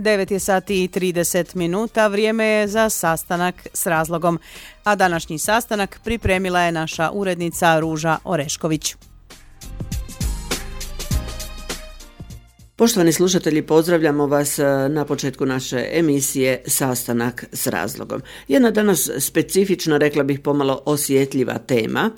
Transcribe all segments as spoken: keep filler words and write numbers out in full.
devet je sati i trideset minuta, vrijeme je za sastanak s razlogom. A današnji sastanak pripremila je naša urednica Ruža Orešković. Poštovani slušatelji, pozdravljamo vas na početku naše emisije Sastanak s razlogom. Jedna danas specifična, rekla bih pomalo osjetljiva tema.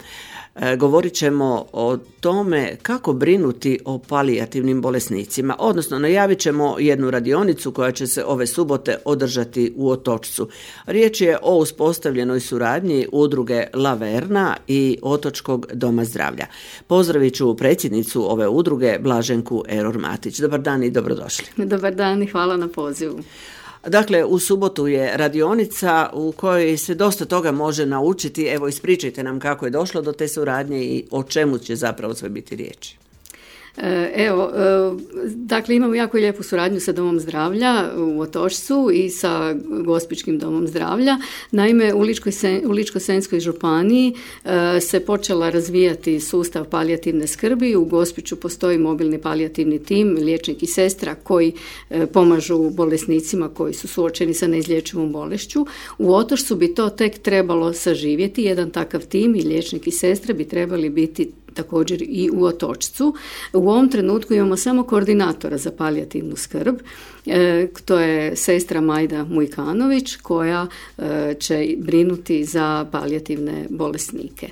Govorit ćemo o tome kako brinuti o palijativnim bolesnicima, odnosno najavit ćemo jednu radionicu koja će se ove subote održati u Otočcu. Riječ je o uspostavljenoj suradnji udruge Laverna i Otočkog doma zdravlja. Pozdravit ću predsjednicu ove udruge, Blaženku Eror-Matić. Dobar dan i dobrodošli. Dobar dan i hvala na pozivu. Dakle, u subotu je radionica u kojoj se dosta toga može naučiti. Evo, ispričajte nam kako je došlo do te suradnje i o čemu će zapravo sve biti riječi. Evo, dakle imamo jako lijepu suradnju sa Domom zdravlja u Otočcu i sa Gospićkim domom zdravlja. Naime, u Ličko-senjskoj županiji se počela razvijati sustav palijativne skrbi. U Gospiću postoji mobilni palijativni tim, liječnik i sestra koji pomažu bolesnicima koji su suočeni sa neizlječivom bolešću. U Otočcu bi to tek trebalo saživjeti. Jedan takav tim i liječnik i sestra bi trebali biti također i u Otočcu. U ovom trenutku imamo samo koordinatora za palijativnu skrb. E, to je sestra Majda Mujkanović koja e, će brinuti za palijativne bolesnike.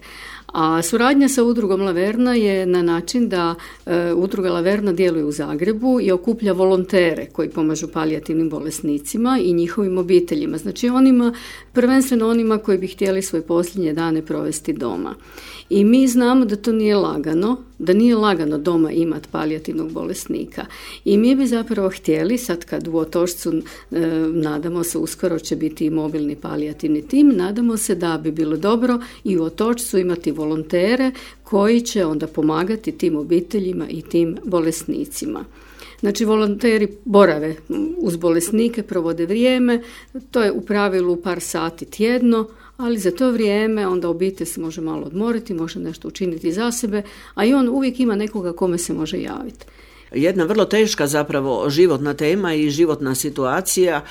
A suradnja sa udrugom Laverna je na način da e, udruga Laverna djeluje u Zagrebu i okuplja volontere koji pomažu palijativnim bolesnicima i njihovim obiteljima. Znači onima, prvenstveno onima koji bi htjeli svoje posljednje dane provesti doma. I mi znamo da to nije lagano, da nije lagano doma imati palijativnog bolesnika. I mi bi zapravo htjeli, sad kad u Otočcu e, nadamo se uskoro će biti i mobilni palijativni tim, nadamo se da bi bilo dobro i u Otočcu imati volontere koji će onda pomagati tim obiteljima i tim bolesnicima. Znači, volonteri borave uz bolesnike, provode vrijeme, to je u pravilu par sati tjedno, ali za to vrijeme onda obitelj se može malo odmoriti, može nešto učiniti za sebe, a i on uvijek ima nekoga kome se može javiti. Jedna vrlo teška zapravo životna tema i životna situacija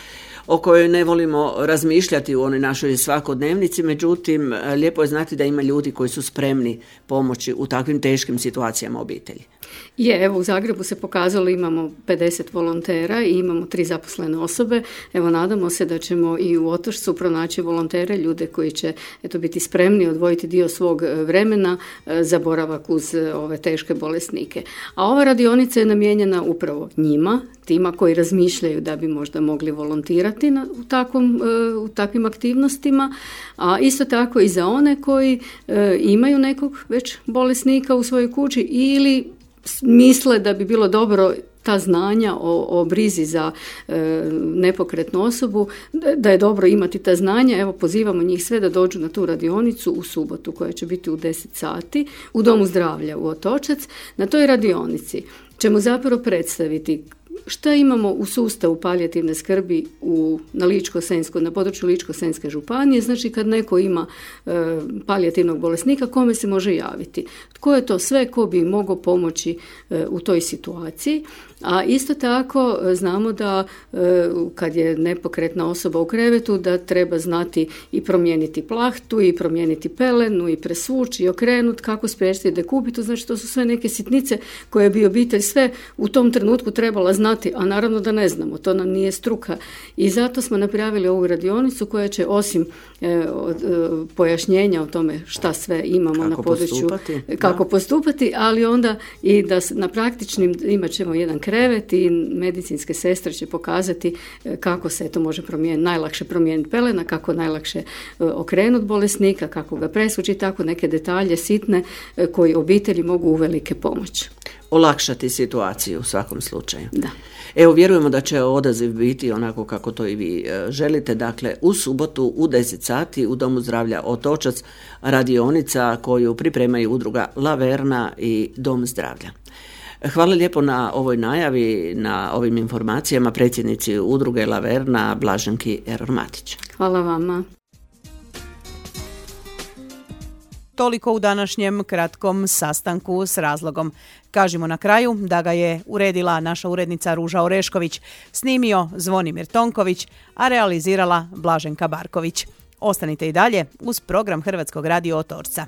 o kojoj ne volimo razmišljati u onoj našoj svakodnevnici, međutim lijepo je znati da ima ljudi koji su spremni pomoći u takvim teškim situacijama obitelji. Je, evo u Zagrebu se pokazalo, imamo pedeset volontera i imamo tri zaposlene osobe. Evo nadamo se da ćemo i u Otočcu pronaći volontere, ljude koji će eto biti spremni odvojiti dio svog vremena za boravak uz ove teške bolesnike. A ova radionica je namijenjena upravo njima, tima koji razmišljaju da bi možda mogli volontirati na, u, takvom, u takvim aktivnostima, a isto tako i za one koji e, imaju nekog već bolesnika u svojoj kući ili misle da bi bilo dobro ta znanja o, o brizi za e, nepokretnu osobu, da je dobro imati ta znanja. Evo pozivamo njih sve da dođu na tu radionicu u subotu koja će biti u deset sati u Domu zdravlja u Otočac. Na toj radionici ćemo zapravo predstaviti šta imamo u sustavu palijativne skrbi u, na, Ličko-senjsko, na području Ličko-senjske županije. Znači kad neko ima e, palijativnog bolesnika, kome se može javiti? Tko je to sve ko bi mogao pomoći e, u toj situaciji? A isto tako znamo da e, kad je nepokretna osoba u krevetu da treba znati i promijeniti plahtu i promijeniti pelenu i presvući i okrenuti, kako spriječiti dekubitu. Znači to su sve neke sitnice koje bi obitelj sve u tom trenutku trebala znati, a naravno da ne znamo, to nam nije struka. I zato smo napravili ovu radionicu koja će osim e, od, e, pojašnjenja o tome šta sve imamo kako na području, postupati, kako da. postupati, ali onda i da na praktičnim imat ćemo jedan krevet i medicinske sestre će pokazati kako se to može promijeniti, najlakše promijeniti pelena, kako najlakše okrenuti bolesnika, kako ga presvući, tako neke detalje sitne koji obitelji mogu uvelike pomoći. Olakšati situaciju u svakom slučaju. Da. Evo, vjerujemo da će odaziv biti onako kako to i vi želite. Dakle, u subotu u deset sati u Domu zdravlja Otočac radionica koju pripremaju udruga Laverna i Dom zdravlja. Hvala lijepo na ovoj najavi, na ovim informacijama predsjednici udruge Laverna Blaženki Eror-Matić. Hvala vama. Toliko u današnjem kratkom sastanku s razlogom. Kažimo na kraju da ga je uredila naša urednica Ruža Orešković, snimio Zvonimir Tonković, a realizirala Blaženka Barković. Ostanite i dalje uz program Hrvatskog radio Otorca.